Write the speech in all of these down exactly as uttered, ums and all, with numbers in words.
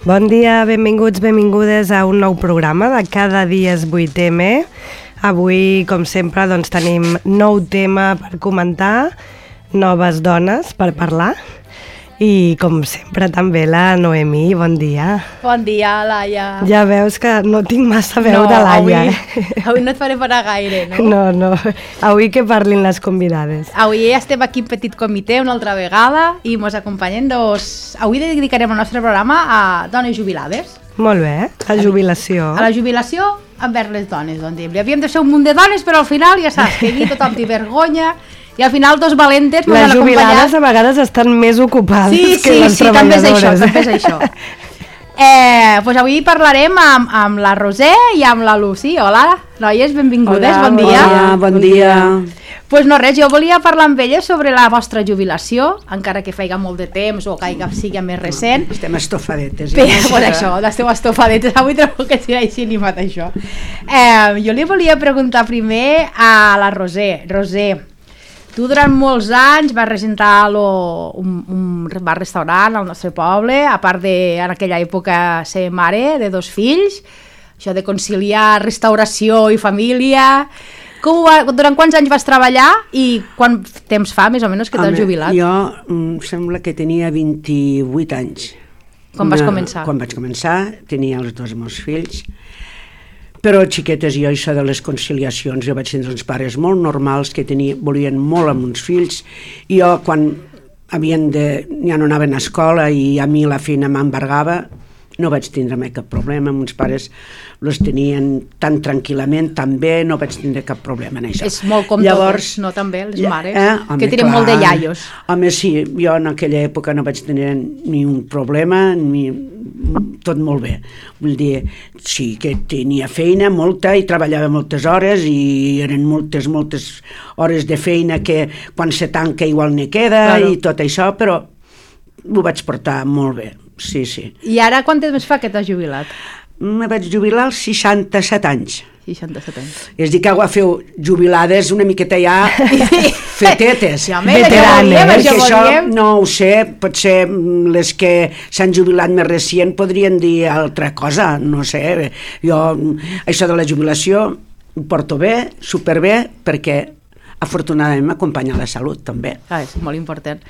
Bon dia, benvinguts, benvingudes a un nou programa de Cada dia és vuit eme. Avui, com sempre, doncs, tenim nou tema per comentar, noves dones per parlar i, com sempre, també la Noemí. Bon dia. Bon dia, Laia. Ja veus que no tinc massa veu no, de Laia. Avui, eh? avui no et faré parar gaire, no? No, no. Avui que parlin les convidades. Avui estem aquí en petit comitè una altra vegada i ens acompanyen dos... Avui dedicarem el nostre programa a dones jubilades. Molt bé, a jubilació. A la jubilació envers les dones, on diem. Havíem de ser un munt de dones, però al final ja saps que aquí tothom té vergonya i al final dos valentes les jubilades a vegades estan més ocupades sí, que sí, les sí, treballadores. Sí, també és això, també és això. Eh, pues avui parlarem amb, amb la Roser i amb la Lucy. Hola, noies, benvingudes, Hola, bon dia. Hola, bon dia. Pues no res, jo volia parlar amb elles sobre la vostra jubilació, encara que faiga molt de temps o que sigui més recent. Estem estofadetes. Bé, pues això, esteu estofadetes, avui trobo que sigui així animat això. Eh, jo li volia preguntar primer a la Roser. Roser, tu durant molts anys vas regentar lo, un, un bar-restaurant al nostre poble, a part de, en aquella època, ser mare de dos fills, això de conciliar restauració i família. Com va, durant quants anys vas treballar i quant temps fa, més o menys, que t'has jubilat? Jo em sembla que tenia vint-i-vuit anys. Quan vas començar? Quan vaig començar, tenia els dos meus fills. Però xiquetes, jo això de les conciliacions, jo vaig tenir uns pares molt normals que tenia, volien molt amb uns fills, i jo quan havien de, ja no anaven a escola i a mi la feina m'embargava, no vaig tindre mai cap problema, uns pares els tenien tan tranquil·lament, també no vaig tindre cap problema en això. És molt com Llavors, totes, no també, les ja, mares, eh? Home, que tenen clar, molt de iaios. Home, sí, jo en aquella època no vaig tenir ni un problema, ni tot molt bé. Vull dir, sí que tenia feina molta i treballava moltes hores i eren moltes, moltes hores de feina que quan se tanca igual ne queda, claro, i tot això, però ho vaig portar molt bé. Sí, sí. I ara quant temps fa que t'has jubilat? Me vaig jubilar als seixanta-set anys. seixanta-set anys. És dir, que agafeu jubilades una miqueta ja fetetes. Ja, veteranes. Perquè això no ho sé, potser les que s'han jubilat més recient podrien dir altra cosa, no sé. Jo això de la jubilació ho porto bé, superbé, perquè afortunadament m'acompanya la salut també. Ah, és molt important.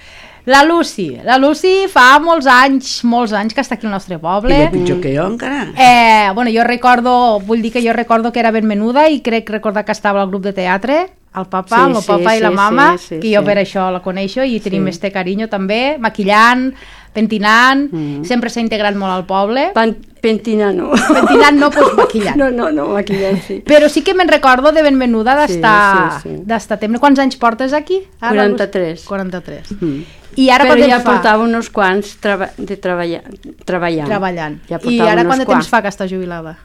La Lucy, la Lucy fa molts anys, molts anys que està aquí al nostre poble. I de pitjor que jo encara. Eh, bueno, jo recordo, vull dir que jo recordo que era ben menuda i crec recordar que estava al grup de teatre, el papa, sí, el sí, papa sí, i la mama, sí, sí, que jo sí. Per això la coneixo i tenim sí. Este carinyo també, maquillant, pentinant, mm. Sempre s'ha integrat molt al poble. Pan, pentinant no. Pentinant no, doncs maquillant. No, no, no, maquillant sí. Però sí que me'n recordo de ben menuda d'estar sí, sí, sí. Temps. Quants anys portes aquí? Ara, quaranta-tres. quaranta-tres. Mm. I ara però ja fa? Portava uns quants treba de treballar, treballant. Treballant. Ja I ara quant de temps fa que està jubilada?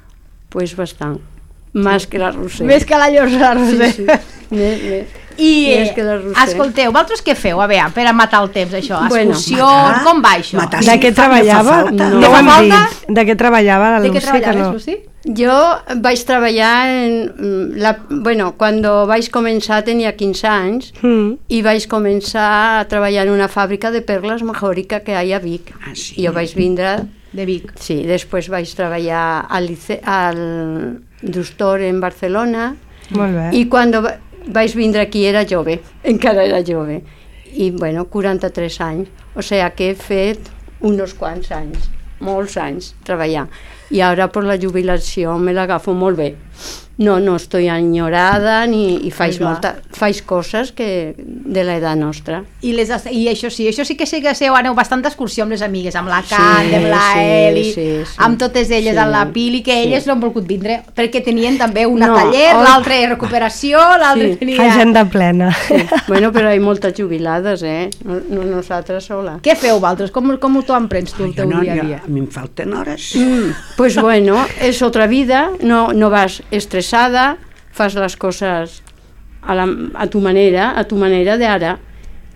Pues bastant. Més que la Roser. Més que la Roser. Sí, sí. Més, més. I escolteu, vosaltres què feu? A veure, per a matar el temps, això, excursió, bueno, com va això? Matar, de què treballava? No, no ho hem dit. De què treballava la Lucy? De què treballaves, Lucy? Jo vaig treballar en la, bueno, quan vaig començar tenia quinze anys mm. i vaig començar a treballar en una fàbrica de perles majòrica que hi ha a Vic. Ah, sí. Jo vaig vindre de Vic. Sí, després vaig treballar al, al Drustor en Barcelona. Molt bé. I quan vaig vindre aquí era jove, encara era jove. I bueno, quaranta-tres anys. O sigui que he fet uns quants anys, molts anys treballant. I ara per la jubilació me l'agafo molt bé. No, no estoy enyorada ni, i faig, molta, faig coses que de l'edat nostra. I, les, I això sí, això sí que sé que seu, aneu bastant d'excursió amb les amigues, amb la Can, sí, amb la sí, Eli, sí, sí, amb totes elles, sí, amb la Pili, que elles sí. No han volgut vindre, perquè tenien també una no, taller, oh, l'altre recuperació, l'altre sí. Tenia... Agenda plena. Sí. Bueno, però hi ha moltes jubilades, eh? No, no nosaltres sola. Què feu, vosaltres? Com, com t'ho emprens tu el teu no, dia a dia? Jo, a mi em falten hores. Mm, pues bueno, és otra vida, no, no vas estressar, fas les coses a, la, a tu manera, a tu manera d'ara,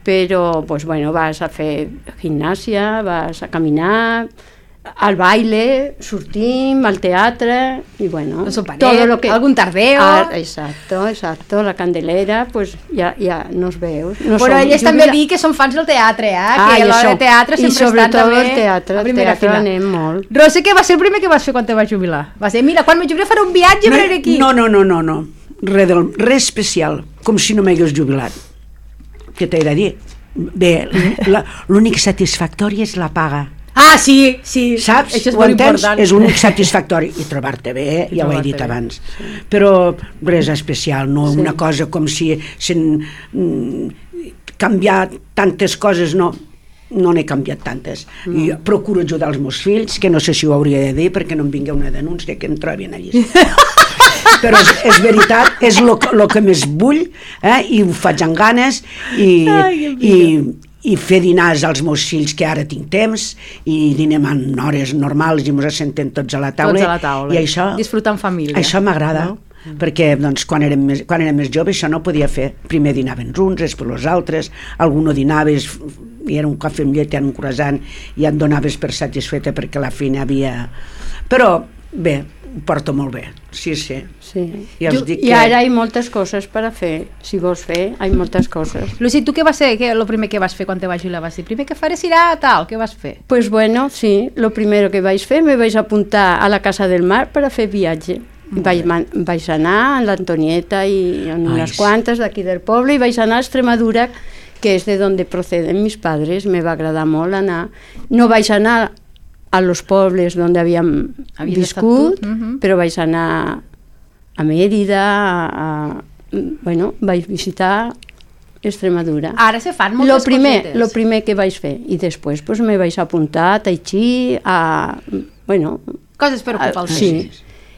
però pues, bueno, vas a fer gimnàsia, vas a caminar, al baile, sortim, al teatre, i bueno... El soperet, lo que... algun tardeo... Ah, exacto, exacto, la Candelera, pues ja, ja nos veus. No Però elles també dir que són fans del teatre, eh? Ah, que a l'hora de teatre sempre estan també... I sobretot el teatre, el teatre anem molt. Roser, què va ser el primer que vas fer quan te vas jubilar? Va ser, mira, quan me jubilaré faré un viatge no, per aquí. No, no, no, no, no. Res, del, res especial, com si no m'hagués jubilat. Què t'he de dir? Bé, l'únic satisfactori és la paga. Ah, sí, sí. Saps? Això és Ho molt entens? important. És únic satisfactori. I trobar-te bé, I ja ho he dit bé. abans. Sí. Però res especial, no sí. una cosa com si s'han mm, canviat tantes coses, no. No n'he canviat tantes. Mm. I procuro ajudar els meus fills, que no sé si ho hauria de dir perquè no em vingui una denúncia que em trobin allí. Però és, és veritat, és el que més vull, eh? I ho faig amb ganes i, Ai, i, i fer dinars als meus fills, que ara tinc temps, i dinem en hores normals i ens assentem tots a la taula. Tots a la taula. I això, disfrutar en família. Això m'agrada. No? Perquè doncs, quan, érem més, quan érem més joves això no podia fer. Primer dinaven uns, després els altres, algú no dinaves i era un cafè amb llet, un croissant, i et donaves per satisfeta perquè la feina havia... Però bé, ho porto molt bé, sí, sí. sí. I, els dic I que... ara hi ha moltes coses per a fer, si vols fer, hi ha moltes coses. Lucy, tu què vas fer? Què, lo primer que vas fer quan te vas jubilar? Vas dir, primer que faré serà tal, què vas fer? Pues bueno, sí, lo primero que vaig fer, me vaig apuntar a la Casa del Mar per a fer viatge. Vaig, vaig anar a l'Antonieta i en unes Ai, quantes d'aquí del poble i vaig anar a Extremadura, que és de donde proceden mis padres. Me va agradar molt anar. No vaig anar a los pobles on havíem Havies viscut, uh -huh. però vaig anar a Mèrida, a, a, bueno, vaig visitar Extremadura. Ara se fan moltes lo primer, cosetes. Lo primer que vaig fer. I després pues, me vaig apuntar a Tai Chi, a... Bueno, coses per ocupar el temps. Sí.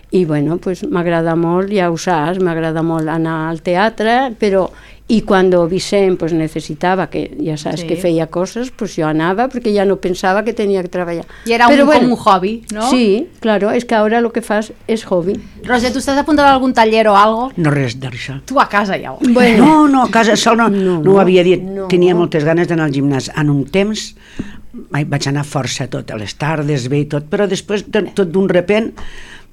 I bueno, pues m'agrada molt, ja ho saps, m'agrada molt anar al teatre, però i quan Vicent pues, necessitava, que ja saps sí. que feia coses, pues jo anava perquè ja no pensava que tenia que treballar. I era però, un, bueno, com un hobby, no? Sí, claro, és que ara lo que fas és hobby. Roser, tu estàs apuntada a algun taller o algo? No, res d'això. Tu a casa ja ho... Bueno. No, no, a casa sol no, no, no ho havia dit. No. Tenia moltes ganes d'anar al gimnàs. En un temps vaig anar força tot, a les tardes, bé i tot, però després, tot d'un repent,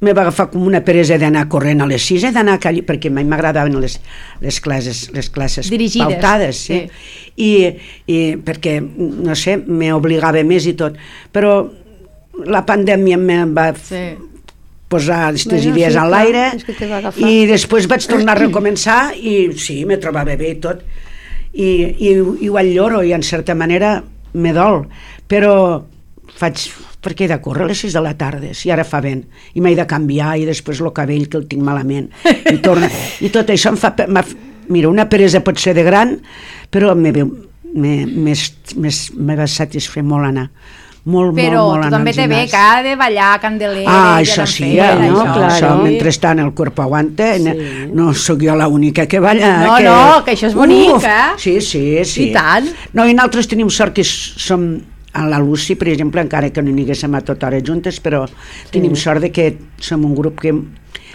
me va agafar com una peresa d'anar corrent a les sis, he d'anar a calli, perquè a mi m'agradaven les, les classes, les classes dirigides, pautades, sí. sí. I, i perquè, no sé, m'obligava més i tot, però la pandèmia em va sí. posar aquestes bueno, idees sí, en l'aire i després vaig tornar a recomençar i sí, me trobava bé i tot i, i, i ho enlloro i en certa manera me dol, però faig perquè he de córrer a les sis de la tarda, si ara fa vent, i m'he de canviar, i després el cabell que el tinc malament, i, torna, i tot això em fa... Mira, una peresa pot ser de gran, però me va satisfer molt anar. Molt, però molt, molt tu també te ve que ha de ballar Candelera. Ah, això sí, ja, no, això, claro. Això, mentrestant el cuerpo aguanta, sí. No sóc jo l'única que balla. No, que... no, que això és bonic, Uf, eh? Sí, sí, sí. I tant. No, i nosaltres tenim sort que som... A la Lucy, per exemple, encara que no n'hi haguéssim a tota hora juntes, però sí. Tenim sort de que som un grup que,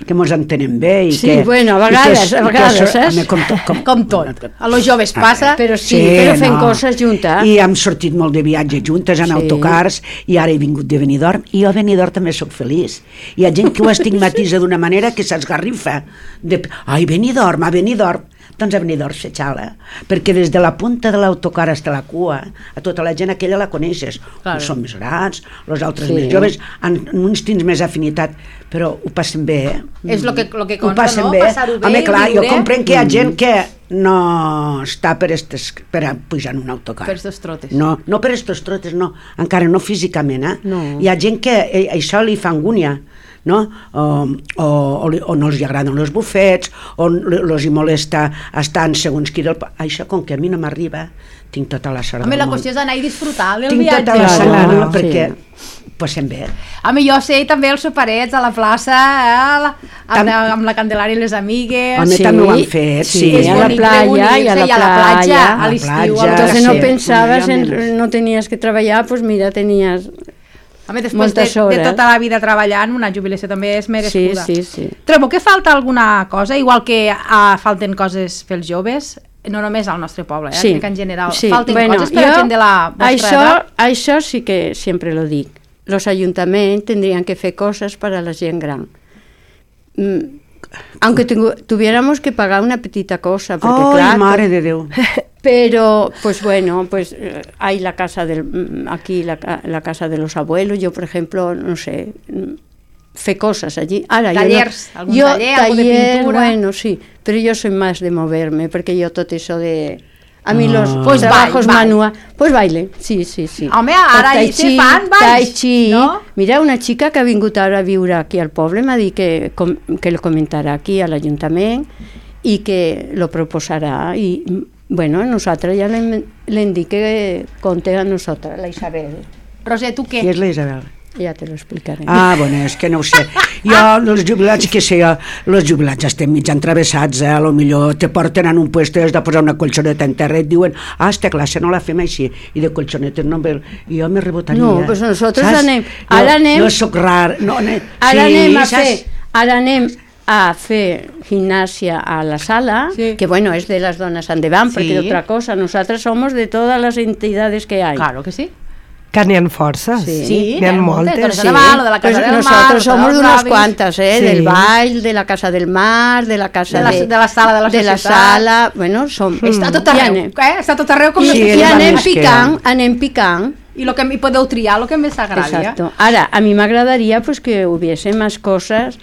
que mos entenem bé. I sí, que, bueno, a vegades, a vegades, saps? Com, com, com tot. A los joves passa, però sí, sí però fem no. coses juntes. I hem sortit molt de viatge juntes, en sí. autocars, i ara he vingut de Benidorm, i jo a Benidorm també sóc feliç. Hi ha gent que ho estigmatitza d'una manera que s'esgarrifa. De, ai, Benidorm, a Benidorm. Doncs a Benidorm s'aixala, perquè des de la punta de l'autocar fins a la cua, a tota la gent aquella la coneixes. Claro. Uns són més grans, els altres sí. més joves, en, en uns tens més afinitat, però ho passen bé, eh? És el que, lo que consta, no? Passar-ho bé, home, clar, viure. Jo comprenc que hi ha gent que no està per, estes, per a pujar en un autocar. Per estos trotes. No, no per estos trotes, no. Encara no físicament, eh? No. Hi ha gent que eh, això li fa angúnia, no? O, o, o, o no els agraden els bufets, o els hi molesta estar en segons qui del... Això, com que a mi no m'arriba, tinc tota la sort Home, del la món. qüestió és anar i disfrutar del tinc viatge. Tinc tota la sort del món, perquè sí. passem bé. Home, jo sé també els soparets a la plaça, eh, la, amb, amb la Candelària i les amigues. Home, sí. també ho han fet, sí. sí. És a la playa, i a la, i a la platja, a a l'estiu. sí. Entonces no pensaves, en, no tenies que treballar, pues mira, tenies... Home, després de, de tota la vida treballant, una jubilació també és merescuda. Sí, sí, sí. Trobo que falta alguna cosa, igual que uh, falten coses pels joves, no només al nostre poble, eh? Sí. Que en general sí. falten bueno, coses per a gent de la vostra això, edat. Això sí que sempre lo dic. los ayuntamientos tendrían que hacer cosas para la gente gran. Mm, aunque tengo, tuviéramos que pagar una petita cosa, porque Ai, claro, mare de Déu. pero pues bueno, pues eh, hay la casa del, aquí la, la casa de los abuelos, yo por ejemplo, no sé, fe cosas allí. Ahora, Tallers, yo no, algún yo, taller, algo de taller, pintura. bueno, sí, pero yo soy más de moverme, porque yo todo eso de... A mí los Ah. Pues trabajos baile, baile. manuales... Pues baile, sí, sí, sí. Home, ara Tai hi se chi, fan balls, tai chi. no? Mira, una xica que ha vingut ara a viure aquí al poble m'ha dit que, com, que lo comentarà aquí a l'Ajuntament i que lo proposarà. I, bueno, nosaltres ja l'hem l'hem dit que compte a nosaltres, la Isabel. Roser, tu què? Qui és la Isabel? Ja te lo explicaré. Ah, bueno, és que no ho sé. Jo, els jubilats, que sé jo, els jubilats estem mig entravessats, eh? A lo millor te porten en un puesto i has de posar una colxoneta en terra i et diuen, ah, esta classe no la fem així, i de colxonetes no ve... I jo me rebotaria. No, pues nosotros saps? anem- Jo, ara anem- Jo soc rar. No, anem, Ara sí, anem a saps? fer... Ara anem a fer gimnasia a la sala, Sí. que bueno, es de las donas andevant, porque Sí. de otra cosa, nosotras somos de todas las entidades que hay. Claro que sí. Que n'hi ha forces. Sí. Sí, n'hi ha moltes. moltes. Doncs Naval, lo de la Pues Casa del Mar, nosotros lo de somos los de unas avis. cuantas, ¿eh? Sí. Del baile, de la Casa del Mar, de la Casa De la- de, de la sala de la de la societat. sala, bueno, som... Està tot I arreu, anem, eh? Està tot arreu com... Sí, sí, i és anem més que- picant, anem picant. I lo que hi podeu triar, el que més agradi. Exacto. Ahora, a mí me agradaría pues que hubiese más cosas,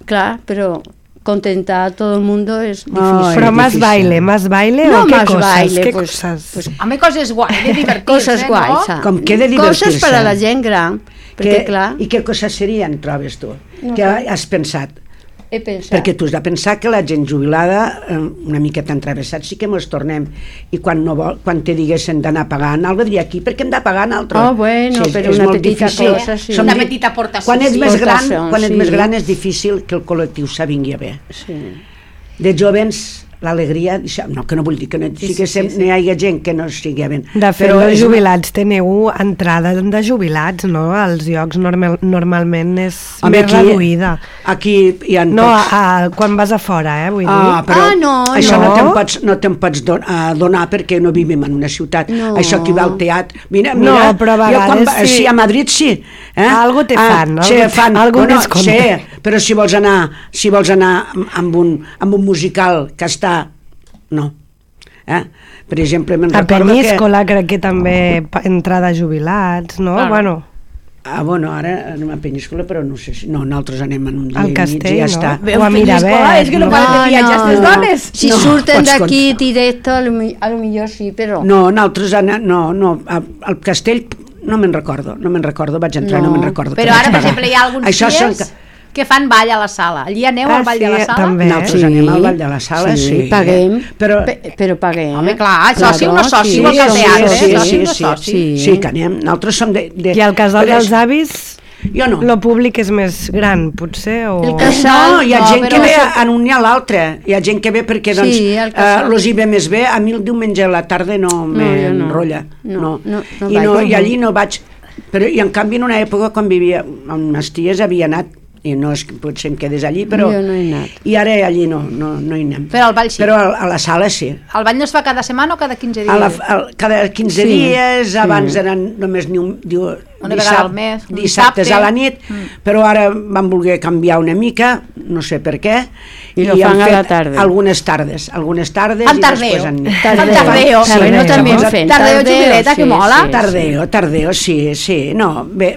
claro, pero contentar a todo el mundo es difícil. Ay, Però és más difícil. baile, más baile No o què más coses? baile, què pues- coses? pues- A mi coses guai, de divertir-se, Cosas guays, no? ¿sabes? Com que he de divertir-se. Coses per a la gent gran, perquè Que, clar, I què coses serien, trobes tu? No que sé. has pensat? he pensat... Perquè tu has de pensar que la gent jubilada, eh, una miqueta entravessat, sí que mos tornem. I quan, no vol, quan te diguessin d'anar pagant, algo diria aquí, perquè hem de pagar en altre. Oh, bueno, però una molt petita difícil. cosa, sí. Som Una di- petita aportació, Quan ets sí. més gran, Aportació, quan ets sí. més gran és difícil que el col·lectiu s'avingui a bé. Sí. De jovens, l'alegria, no, que no vull dir que no, sí, que sí, sí, sí. no hi hagi gent que no estigui a bé. De fet, Però els és- jubilats teniu entrada de jubilats, no? Als llocs normal, normalment és Home, més aquí- reduïda. Aquí hi ha No, pocs- a, a, quan vas a fora, eh, vull Ah, dir. però Ah, no, això no, no. te'n pots, no te'n pots don, uh, donar perquè no vivim en una ciutat. No. Això aquí va al teatre. Mira, No, mira, però a jo quan vegades va, sí. sí, a Madrid sí. Eh? Algo te fan, ah, sí, algo- fan. algo bueno, descompte. sí, però si vols anar, si vols anar amb un, amb un musical que està... No. Eh? Per exemple, me'n A recordo Peníscola crec que també pa- entrada de jubilats, no? Claro. Bueno, que... Ah, bueno, ara anem a Peníscola, però no sé si... No, nosaltres anem en un dia al i mig castell, i ja no? està. Veu O a Peníscola, Miravet. és que no no? poden fer viatjar aquestes dones. Si No, surten pots d'aquí directo, a lo, mi- a lo millor sí, però... No, nosaltres ana, no, no, a- al castell no me'n recordo, no me'n recordo, vaig entrar, no, No, no me'n recordo. Però que vaig ara, per pagar. exemple, hi ha alguns Això dies són que- que fan ball a la sala. Allí aneu Ah, al ball sí, de la sala? també. Nosaltres Sí. anem al ball de la sala, sí. Sí, paguem, Però, pe- però paguem. Home, clar, soci, uno soci, sí, igual que al som teatre, sí, soci, sí, uno sí, soci. sí, sí, que anem. Nosaltres som de... de I al casal però és- dels avis, Jo no. lo públic és més gran, potser? O... El casal- No, hi ha no, gent però que ve això- en un i a l'altre. Hi ha gent que ve perquè, doncs, Sí, el eh, casal. los hi ve més bé. A mi el diumenge a la tarda no jo no. m'enrotlla. No, no, no I, no, vaig. I allí no vaig... Però, i en canvi, en una època, quan vivia amb les ties, havia anat, i no és que potser em quedés allí, però... Jo no he anat. I ara allí no, no, no hi anem. Però al ball sí. Però a, a la sala sí. El ball no es fa cada setmana o cada quinze dies? A la, a, cada quinze Sí, dies, sí. abans eren només ni un, diu, Una vegada al mes, un dissabtes dissabte. a la nit, mm. però ara van voler canviar una mica, no sé per què, I lo han fan a fet la tarda. algunes tardes, algunes tardes En i tardeo. després en nit. En tardeo. Sí, Bueno, sí, també sí. fem Tardeo jubileta, que mola. sí, Tardeo, tardeo, sí, sí, no, bé,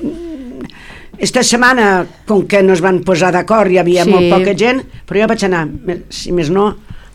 esta setmana, com que no es van posar d'acord, hi havia Sí. molt poca gent, però jo vaig anar, me- si més no,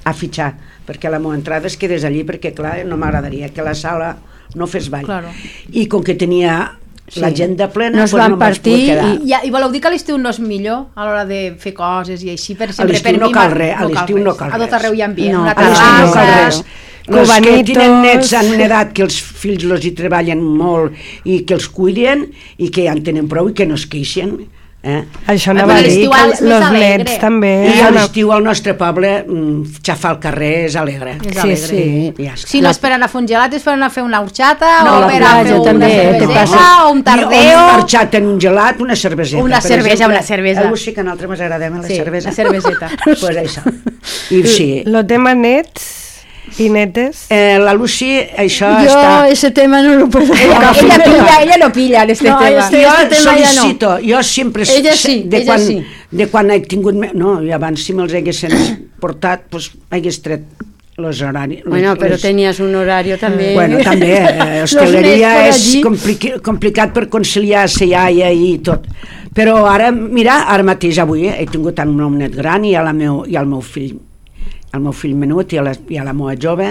a fitxar, perquè la meva entrada es quedés allí, perquè clar, no m'agradaria que la sala no fes ball. Claro. I com que tenia Sí. l'agenda plena, No es doncs van no em vaig partir poder quedar. I, I voleu dir que a l'estiu no és millor a l'hora de fer coses i així? Per A sempre, l'estiu per no mi, cal ma- res, a l'estiu no cal A tot res. arreu hi ha ambient, No, una a A l'estiu no cal terrassa... res. Els que Cubanitos. tenen nets en una edat que els fills los hi treballen molt i que els cuiden i que ja en tenen prou i que no es queixen. Eh? Això Però anava a dir l'estiu que és més els alegre. nets també... I a són- l'estiu al nostre poble mm, xafar al carrer és alegre. És Sí, alegre. sí. Ja està. Si no és per anar a fer un gelat, és per anar a fer una horxata No, o la per a platja fer una també, te cerveseta passa. o un I un tardeo. marxat en un gelat, una cerveseta. Una per cervesa, exemple. una cervesa. Algú sí que a nosaltres ens agradem la Sí, cervesa. la cerveseta. Pues això. I sí, Lo tema nets, I netes? Eh, la Lucy, això Yo està... ese tema no lo puedo Ella, tocar. ella, pilla, ella no pilla en este No, tema. este- Jo este tema ja no. sol·licito, jo sempre... Ella sí, de ella quan, sí. De quan he tingut... me- No, i abans si me'ls haguessin portat, doncs hagués tret los horaris. Bueno, pero les- tenías un horario también. Bueno, també, eh, Los hosteleria nens por és allí. compliqui, complicat per conciliar la iaia i tot. Però ara, mira, ara mateix avui eh, he tingut el meu net gran i, a la meu, i el meu fill, el meu fill menut i a la, i a la meva jove,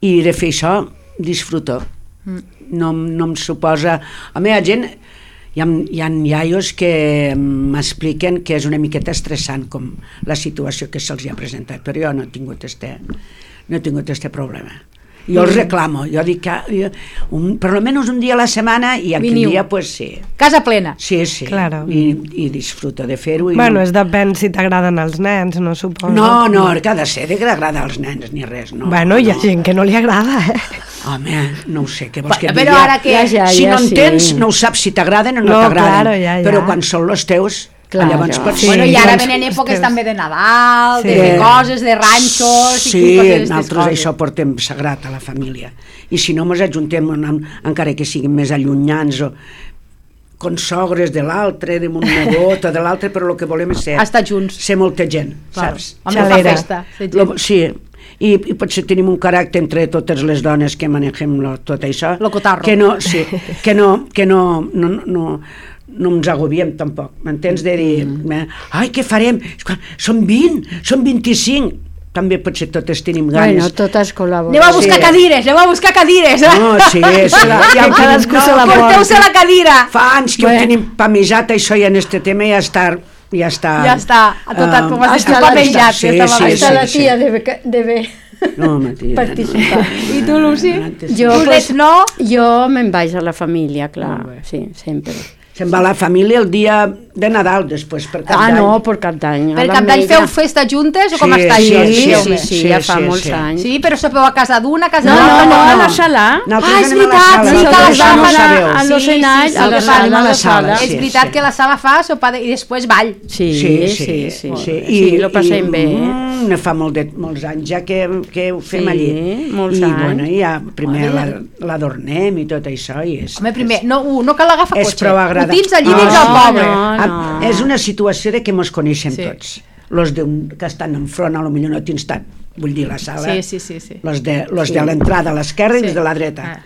i de fer això disfruto. Mm. No, no em suposa... A mi hi ha gent... Hi ha, hi ha iaios que m'expliquen que és una miqueta estressant com la situació que se'ls ha presentat, però jo no he tingut este, no he tingut este problema. Jo els reclamo, jo dic que jo, un, per almenys un dia a la setmana i aquell Veniu. dia, pues sí. Casa plena. Sí, sí, Claro. I, i disfruto de fer-ho. i Bueno, no, és depèn si t'agraden els nens, no suposo. no, no, que ha de ser de que agrada als nens ni res, no. Bueno, hi ha no. gent que no li agrada, eh? Home, no ho sé, què vols que et Però digui? ara que... Ja, ja, Si no ja, en sí. tens, no ho saps si t'agraden o no, No, t'agraden. claro, ja, ja. Però quan són els teus, Claro. llavors pots... Sí, Bueno, i ara doncs, venen èpoques ostres. també de Nadal, Sí. de fer coses, de ranxos... Sí, i coses nosaltres coses. això portem sagrat a la família. I si no, ens ajuntem, en- encara que siguin més allunyants o consogres de l'altre, de mon nebot o de l'altre, però el que volem és ser, Estar junts. ser molta gent, Claro. saps? Amb la Xalera. festa. ser gent. Lo, sí, i, i potser tenim un caràcter entre totes les dones que manegem lo, tot això, Lo cotarro. que no, sí, que no, que no, no, no, no ens agobiem tampoc, m'entens? De dir, mm. ai, què farem? Són vint, són vint-i-cinc, també potser totes tenim ganes. Bueno, totes col·laboren. Aneu a buscar Sí. cadires, aneu a buscar cadires. No, sí, sí, la, ja ho cadascú tenim, se la no, Porteu-se la cadira. fa anys que Bueno. ho tenim pamejat, això ja en este tema ja està... Ja està, Ja està, a tot, eh, com has dit, hasta tu la- pamejat. sí, ja estava sí, bé. Hasta sí, la sí. tía debe, debe No, Matia, participar. I tu, Lucy? Jo, Tu pues, nets no? jo me'n vaig a la família, Molt clar, bé. sí, sempre. Se'n va la família el dia de Nadal, després, per Cap Ah, d'Any. no, per Cap d'Any. Per a Cap d'any l'Ametlla. feu festa juntes o com Sí, està sí, això? Sí, sí, sí, sí, sí, ja sí, fa sí, molts sí. anys. Sí, però sopeu a casa d'una, a casa No, de l'altra, no, no, a no. la sala. Nosaltres Ah, és anem a la veritat, sala. sí, que la Vosaltres sala no fa ho la- sabeu. a los Sí, sí, enalls, sí, a el la que sala, fan a la la sala, sala. sí. És veritat que la sala fa sopa de... i després ball. Sí, Sí, sí, sí, sí, sí. sí, lo passem bé. eh? Mm, ne fa molt de, molts anys ja que, que ho fem Sí, allí. molts I, anys. bueno, ja primer Molt la- l'adornem i tot això. I és, Home, primer, no, uh, no cal agafar és cotxe. prou agradable. Ho tens allí Ah, dins del no, poble. no. Ah, és una situació de que mos coneixem Sí. tots. Los de un, que estan enfront, a lo millor no tens tant, vull dir, la sala. Sí, sí, sí, sí. Los de, los de l'entrada a l'esquerra Sí. i els de la dreta. Ah.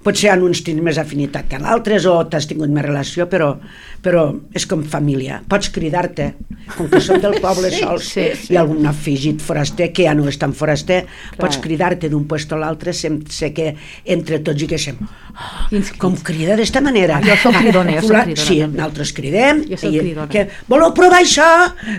Potser han uns tens més afinitat que l'altres o t'has tingut més relació, però, però és com família. Pots cridar-te, com que som del poble Sí, sols sí, sí. i algun afegit foraster, que ja no és tan foraster, pots cridar-te d'un puesto a l'altre, sem- sé que entre tots i que sem... Oh, Quins com crida d'esta manera. Jo soc cridona, jo soc Fulà- cridona, Sí, també. nosaltres cridem. Jo soc i, cridona. que, voleu provar això?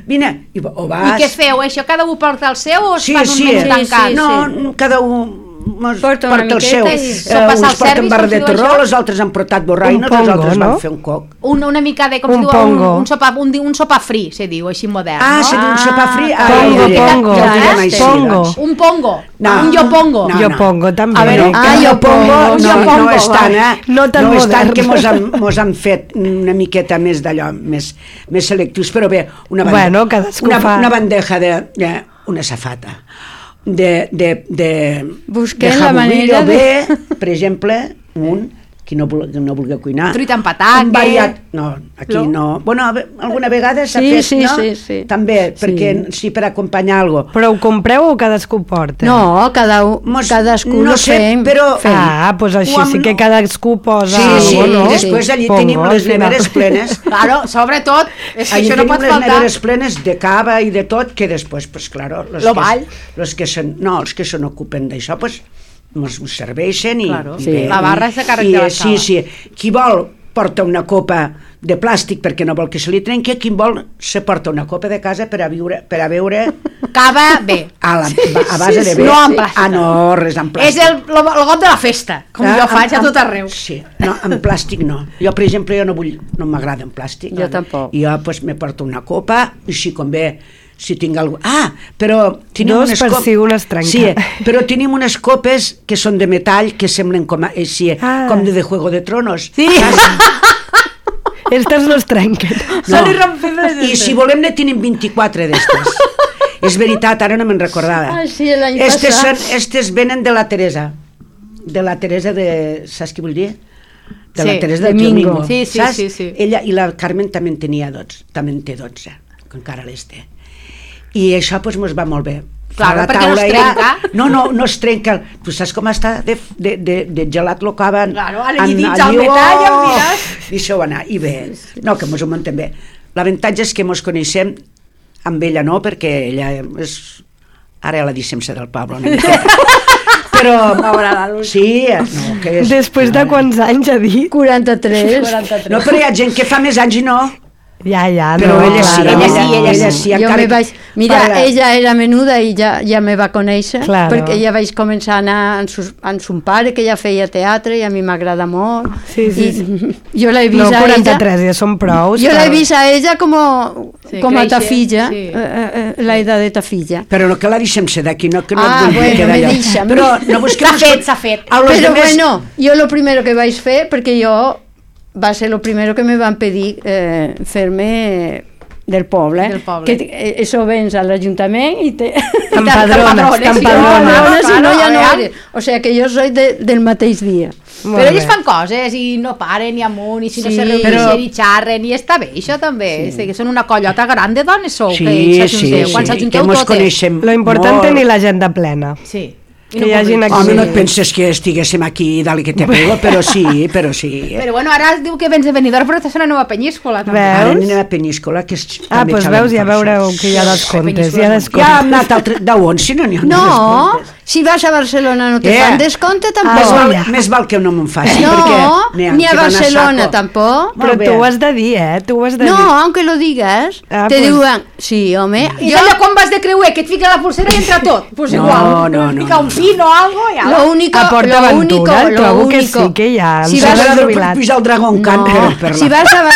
Vine. I, o vas... I què feu? Això cada un porta el seu o es Sí, fan un sí, menú sí, tancat? sí. no, cada un mos Porta una porta el seu. miqueta i Eh, sopes al uns porten servis, barra com de es diu torró, això? els altres han portat borraïnos, Un els altres pongo, van no? fer un coc. Una, una mica de, com Un es diu, pongo. un, un, sopa, un, un sopar fri, se diu, així modern, Ah, no? se diu un sopar fri? Ah, Pongo, ja ho diré. pongo. Ja ho direm Eh? així, Pongo. doncs. Un pongo, No. un yo pongo. No, Jo no. pongo també. A veure, Ah, jo pongo, no, jo no, pongo, és tant, eh? No tan no és tant modern. que mos han, mos han fet una miqueta més d'allò, més, més selectius, però bé, una, bande Bueno, cadascú una, fa. una bandeja de, de una safata de, de, de, Busquem de la jamón manera o de- bé, per exemple, un qui no, vulgui, no vulgui cuinar. Truita amb patatge. Un variat, no, aquí No? no. Bueno, a ve- alguna vegada s'ha Sí, fet, sí, no? sí, sí. També, Sí. perquè sí, per acompanyar alguna cosa. Però ho compreu o cadascú porta? No, cada un, Mos- cadascú no lo sé, fem. però- fem. Ah, doncs així Ho am- sí que cadascú posa... Sí, sí, algo, no? i després allí Pongo, tenim al les final. neveres plenes. Claro, sobretot, és que Allí això no tenim pot les faltar. neveres plenes de cava i de tot, que després, pues, claro, los Lo que, ball. los que se, no, els que se n'ocupen d'això, pues, mos ho serveixen i, Claro. i Sí. bé, La barra és de càrrec i, de la sí, cava. sí, qui vol porta una copa de plàstic perquè no vol que se li trenqui, qui vol se porta una copa de casa per a viure, per a beure Cava bé. a, la, a base sí, de sí. bé. No en plàstic. Ah, no, res en plàstic. És el, el, el got de la festa, com Ah, jo faig amb- a tot amb- arreu. Sí, no, en plàstic no. Jo, per exemple, jo no vull, no m'agrada en plàstic. Jo tampoc. I jo, pues, me porto una copa, i si convé, si tinc algú... Ah, però tenim Dos unes per cop- si un es trenca. Sí, però tenim unes copes que són de metall, que semblen com, a, així, Ah. com de, de Juego de Tronos. Sí. Estes no es trenquen. Són irrompibles. I si volem ne tenim vint-i-quatre d'estes. És veritat, ara no me'n recordava. Ah, sí, l'any Estes, passat. són, estes venen de la Teresa. De la Teresa de... Saps què vull dir? De Sí, la Teresa del Domingo. Domingo. Sí, sí, saps? sí, sí. Ella i la Carmen també en tenia dotze. També en té dotze, que encara les té. I això doncs mos va molt bé. Clar, La perquè no es taula trenca. No, no, no es trenca. Tu saps com està de, de, de, de gelat lo caven? Claro, ara hi dins al metall, em diràs. Deixeu anar, i bé. No, que mos ho muntem bé. L'avantatge és que mos coneixem, amb ella no, perquè ella és... Ara ja la deixem ser del poble una mica. Però... Sí, no, que és... Després de quants anys ha dit? quaranta-tres. No, però hi ha gent que fa més anys i no. Ja, ja, Però no, ella sí, claro. ella sí, ella sí. Jo encara me que- vaig... Mira, Para- ella era menuda i ja, ja me va conèixer, Claro. perquè ja vaig començar a anar amb, sus, amb son pare, que ja feia teatre i a mi m'agrada molt. Sí, sí, I jo l'he vist No, a ella... quaranta-tres ja són prous. Jo l'he però- vist a ella com, Sí, com a créixer, ta filla, sí. eh, eh, la edad de ta filla. Però no que la deixem ser d'aquí, no que no Ah, et vull bueno, quedar me allò. deixa, Però no busquem... S'ha fet, s'ha fet. A los Però demés- bueno, jo lo primero que vaig fer, perquè jo va ser lo primero que me van pedir eh, fer-me del poble, Del poble. que eh, això vens a l'Ajuntament i te... T'empadrones, T'empadrones, t'empadrones. si no ja no Claro, eres. O sigui que jo soy de, del mateix dia. Molt Però bé. ells fan coses i no paren ni amunt i si no Sí, se reuneixen però- i xarren i està bé, això també. Sí. Que són una collota gran de dones sou, Sí, que sí, s'ajunteu. Quan sí, que s'ajunteu mos totes. coneixem Lo important molt. tenir l'agenda plena. Sí. I Que hi hagin podem- aquí- Home, no et penses que estiguéssim aquí dalt que te pego, però sí, però sí. Però bueno, ara es diu que vens de Benidorm, però estàs a una nova penyíscola. També. Veus? Ara anem a Peníscola, que és... Ah, també doncs xalem veus, ja per això. veureu que hi ha descomptes. Hi ha Ja hem descomptes. anat altre... D'on, si no n'hi ha No, descomptes. si vas a Barcelona no te Eh? fan descompte Més tampoc. Ah, val, ja. més val que no me'n faci, No, perquè... n'hi ha ni a que van Barcelona saco. tampoc. Però Molt bé. tu ho has de dir, eh? Tu ho has de No, dir. aunque lo digas, Ah, te pues- diuen... Sí, home, I jo... allò quan vas de creuer, que et fica la pulsera i entra tot. Pues No, igual. no, no, Fica un no. pin o algo i ala. Lo único, A Port lo único, Aventura, lo trobo que único. sí que hi ha. Si Em vas sembla a Per jubilat. pujar el Dragon Khan, No, però per si la... vas a... Ba-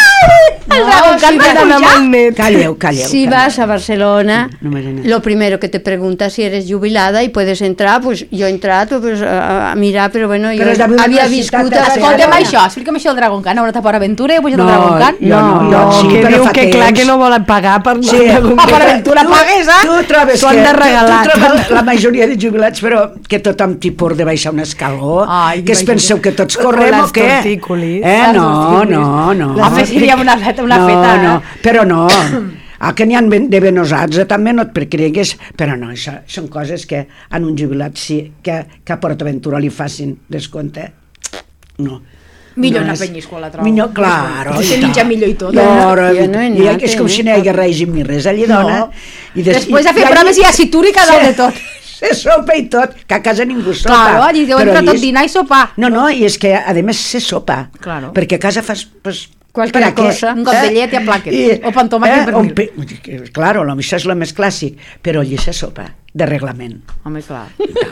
El No, Dragon Khan si va vas- D'anar amb pujar. el net. Calleu, calleu. Si calleu. vas a Barcelona, No me n'he- lo primero que te pregunta si eres jubilada y puedes entrar, pues yo he entrado pues, a, a mirar, pero bueno, yo Però és d'haver había universitat viscut a a Barcelona. Escolta'm Barcelona. això, explica'm això del Dragon Khan. Una etapa aventura i he pujat No, al Dragon Khan. jo no, No, jo sí, que però diu fa que clar temps. que no volen pagar per Sí, per Ah, per aventura pagues, eh? Tu trobes T'ho han que... de tu- regalar. Tu trobes la majoria de jubilats, però que tothom t'hi por de baixar un escaló. Ai, que es imagina't. penseu que tots O correm o les què? tortícolis. Eh, Les no, tortícolis. no, no. Home, seria una feta, una no, feta, eh? no, però no. Ah, que n'hi ha ben- de venosats, eh, també no et cregues, però no, això són coses que a un jubilat sí, que, que a PortAventura li facin descompte. No. Millor no una és- penyíscola, trobo. Millor, claro. Se i menja tant. millor i tot. Jo, Jo no, no- jo no he i anat, és com eh? si no hi hagués règim ni res, allí dona. No. I des- Després de i- fer i allí- proves hi ha citúrica dalt de tot. Se sopa i tot, que a casa ningú sopa. Claro, allí deu però entrar tot és- dinar i sopar. No, no, i és que a més se sopa. Claro. Perquè a casa fas... Pues, Qualquer per a què? cosa. Un got de llet i a plàquet. O pan tomàquet i pernil. un pe... Claro, això és el més clàssic, però allí se sopa, de reglament. Home, clar.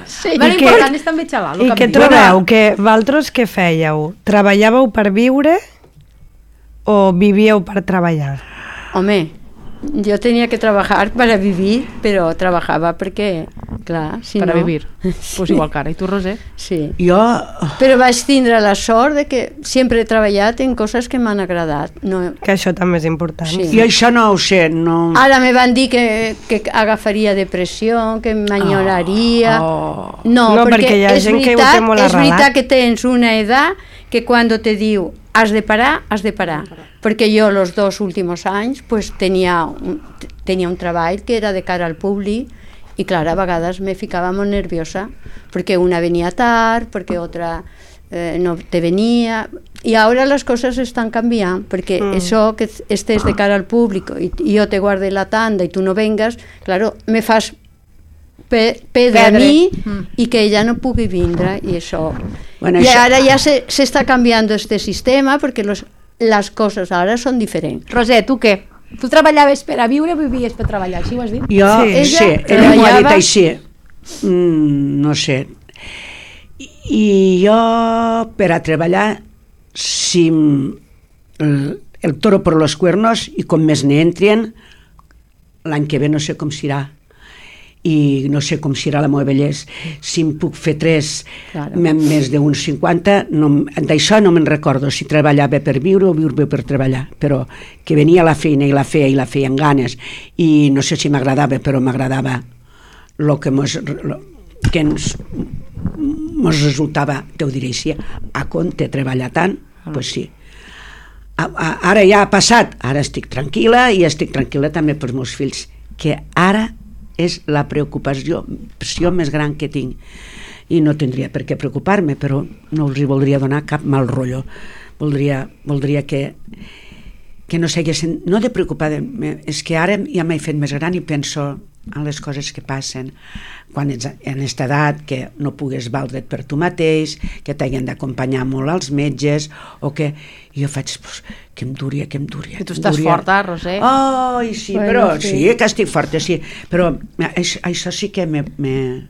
Sí. Però I que- l'important és també xalar. I què trobeu? Que vosaltres què fèieu? Treballàveu per viure o vivíeu per treballar? Home, yo tenía que trabajar para vivir, pero trabajaba porque, clar, si Per a no... vivir. Pues igual que ara. I tu, Roser? Sí. Jo... Però vaig tindre la sort de que sempre he treballat en coses que m'han agradat. No, Que això també és important. Sí. Jo això no ho sé, no... ara me van dir que, que agafaria depressió, que m'enyoraria... Oh. No, No, perquè, perquè hi ha és gent que ho veritat, té molt és arrelat. veritat que tens una edat que quan te diu has de parar, has de parar. Perquè jo els dos últims anys pues, tenia, un, tenia un treball que era de cara al públic i clar, a vegades me ficava molt nerviosa perquè una venia tard, perquè altra eh, no te venia i ara les coses estan canviant perquè mm. això que estés de cara al públic i, i jo te guarde la tanda i tu no vengues, claro, me fas pe perdre a Perdre. mi Mm. i que ella no pugui vindre i això Bueno, i això- ara ja se, se està canviant este sistema perquè los, les coses ara són diferents. Roser, tu què? Tu treballaves per a viure o vivies per treballar? Així ho has dit? Jo, Sí. sí, sí Ella ella m'ho ha dit treballava- així. Mm, no sé. I, I jo, per a treballar, si m- el, el toro per los cuernos i com més n'hi entren, l'any que ve no sé com serà. i no sé com serà la meva vellesa, si em puc fer tres Claro. m- més d'uns cinquanta, no, d'això no me'n recordo, si treballava per viure o viure per treballar, però que venia a la feina i la feia i la feia amb ganes, i no sé si m'agradava, però m'agradava el que mos, lo, que ens mos resultava, te ho diré així, a compte treballar tant, doncs pues sí. A, a, ara ja ha passat, ara estic tranquil·la i estic tranquil·la també pels meus fills, que ara és la preocupació més gran que tinc, i no tindria per què preocupar-me, però no els hi voldria donar cap mal rotllo, voldria, voldria que que no s'haguessin, no de preocupar, és que ara ja m'he fet més gran i penso en les coses que passen quan ets en aquesta edat, que no pugues valdre't per tu mateix, que t'hagin d'acompanyar molt als metges, o que jo faig, pues, que em duria, que em duria. Que tu estàs forta, Roser. Oh, sí, Bueno, però sí. sí, que estic forta, sí, però això, això sí que me, me,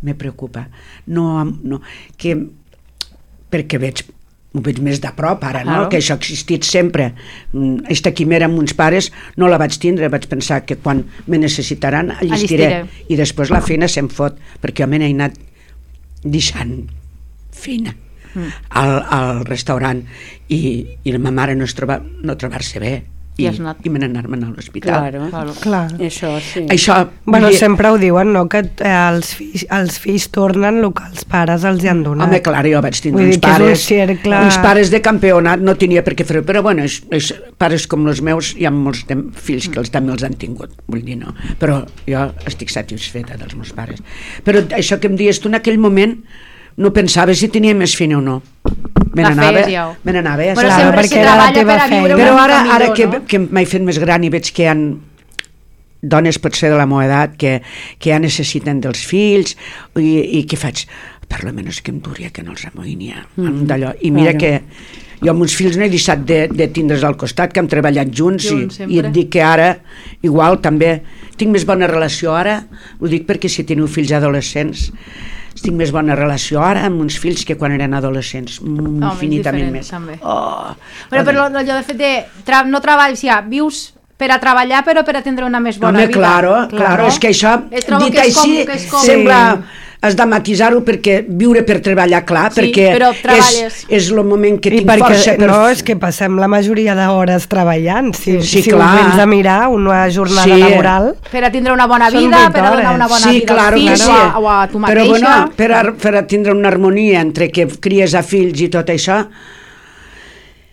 me preocupa. No, no, que, perquè veig ho veig més de prop ara, no? Claro. Que això ha existit sempre. Mm, Esta quimera amb uns pares no la vaig tindre, vaig pensar que quan me necessitaran allistiré, Allistiré. i després la feina se'm fot, perquè jo me n'he anat deixant feina Mm. al, al restaurant i, i la meva mare no, es troba, no trobar-se bé i, I has anat. i me n'anar-me'n a l'hospital. Claro. Claro. Clar. Això sí. Això, Bueno, vull dir, sempre ho diuen, no?, que eh, els, fills, els fills tornen el que els pares els hi han donat. home, clar, jo vaig tindre Vull uns dir que és un pares, cercle- uns pares de campionat, no tenia per què fer-ho, però bueno, és, és, pares com els meus, hi ha molts de, fills que els, també els han tingut, vull dir, no, però jo estic satisfeta dels meus pares. Però això que em dius tu en aquell moment, no pensava si tenia més feina o no. Me La n'anava, feies ja. me n'anava, ja Però saps? sempre perquè se era la treballa teva per a viure feina. una Però mica ara, ara millor, que, no? que m'he fet més gran i veig que hi ha dones potser de la meva edat que, que ja necessiten dels fills i, i què faig? Per lo menys que em duria, que no els amoïni mm, d'allò. I mira claro. que jo amb uns fills no he deixat de, de tindre's al costat, que hem treballat junts, Junts, i, sempre. i et dic que ara igual també tinc més bona relació ara, ho dic perquè si teniu fills adolescents tinc més bona relació ara amb uns fills que quan eren adolescents, mm, Home, infinitament és més. diferent, també. Oh, Però, però allò de fet de tra no treballs, ja, vius per a treballar però per a tindre una més bona Home, vida. claro, claro, és que això, Eh, trobo dit que és com- així, que és com- sembla, has de matisar-ho perquè viure per treballar, clar, Sí, perquè però és, treballes. és el moment que I tinc perquè, força per... no, és que passem la majoria d'hores treballant. Si, Sí, si clar. ho vens a mirar, una jornada Sí. laboral... Per a tindre una bona Són vida, vuit per a donar hores. una bona sí, vida claro als que fills sí. o, a, o a tu mateixa. Però bueno, per a, per a tindre una harmonia entre que cries a fills i tot això,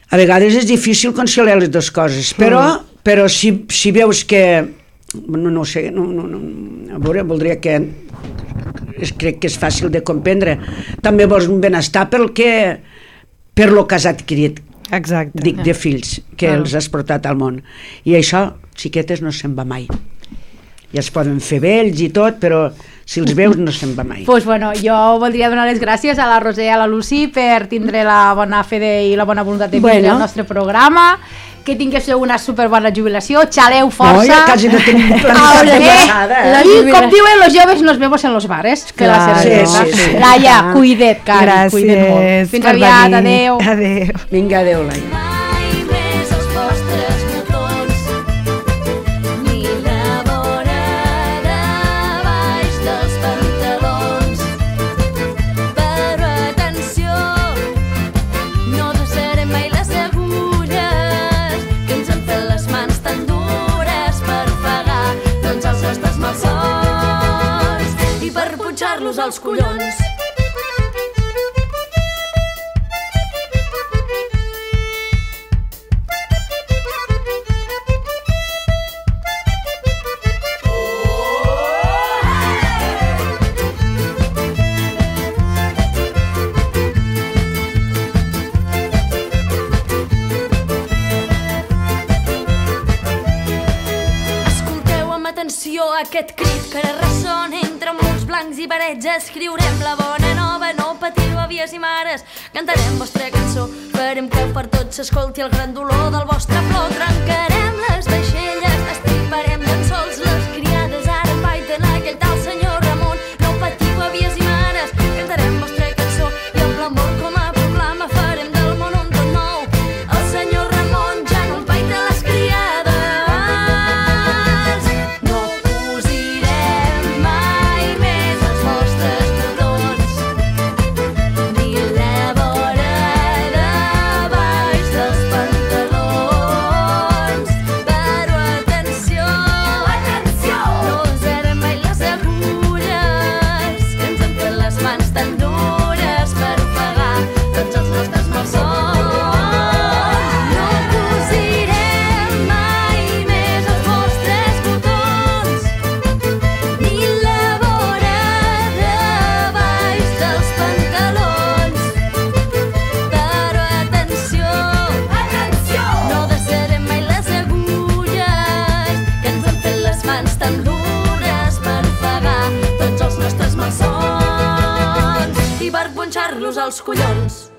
a vegades és difícil conciliar les dues coses, però, mm. però si, si veus que... No, no ho sé, no, no, no, a veure, voldria que... És, crec que és fàcil de comprendre. També vols un benestar pel que... per lo que has adquirit, Exacte. dic, de fills, que Claro. els has portat al món. I això, xiquetes, no se'n va mai. Ja es poden fer vells i tot, però si els veus no se'n va mai. Pues bueno, jo voldria donar les gràcies a la Roser i a la Lucy per tindre la bona fe de, i la bona voluntat de vindre Bueno. al nostre programa, que tinguéssiu una superbona jubilació, xaleu força. No, ja quasi no tenim Ahora, planificat de eh? passada. La I jubila- com diuen los joves, nos vemos en los bares. Que la Clar, cervesa. sí, sí, sí. Laia, cuida't, Cari, cuida't molt. Gràcies Fins per aviat, venir. adeu. Adeu. Vinga, adéu, Laia. Mai més els vostres botons, ni la vora de baix dels pantalons. Però atenció, no deixarem mai les agulles que ens han fet les mans tan dures per pagar tots els nostres malsons i per punxar-los als collons. Escolteu amb atenció aquest crit que ara ressona entre murs blancs i parets. Escriurem la bona nova, no patiu, àvies i mares. Cantarem vostra cançó, farem que per tots s'escolti el gran dolor del vostre plor. Trencarem les vaixelles, estriparem llençols. Les criades ara empaiten aquell tal senyor Ramon. No patiu, àvies i mares, cantarem vostra cançó i amb l'amor com a proclama farem del món un tot nou. El senyor Ramon ja no empaita les criades. No cosirem mai tocar-los als collons.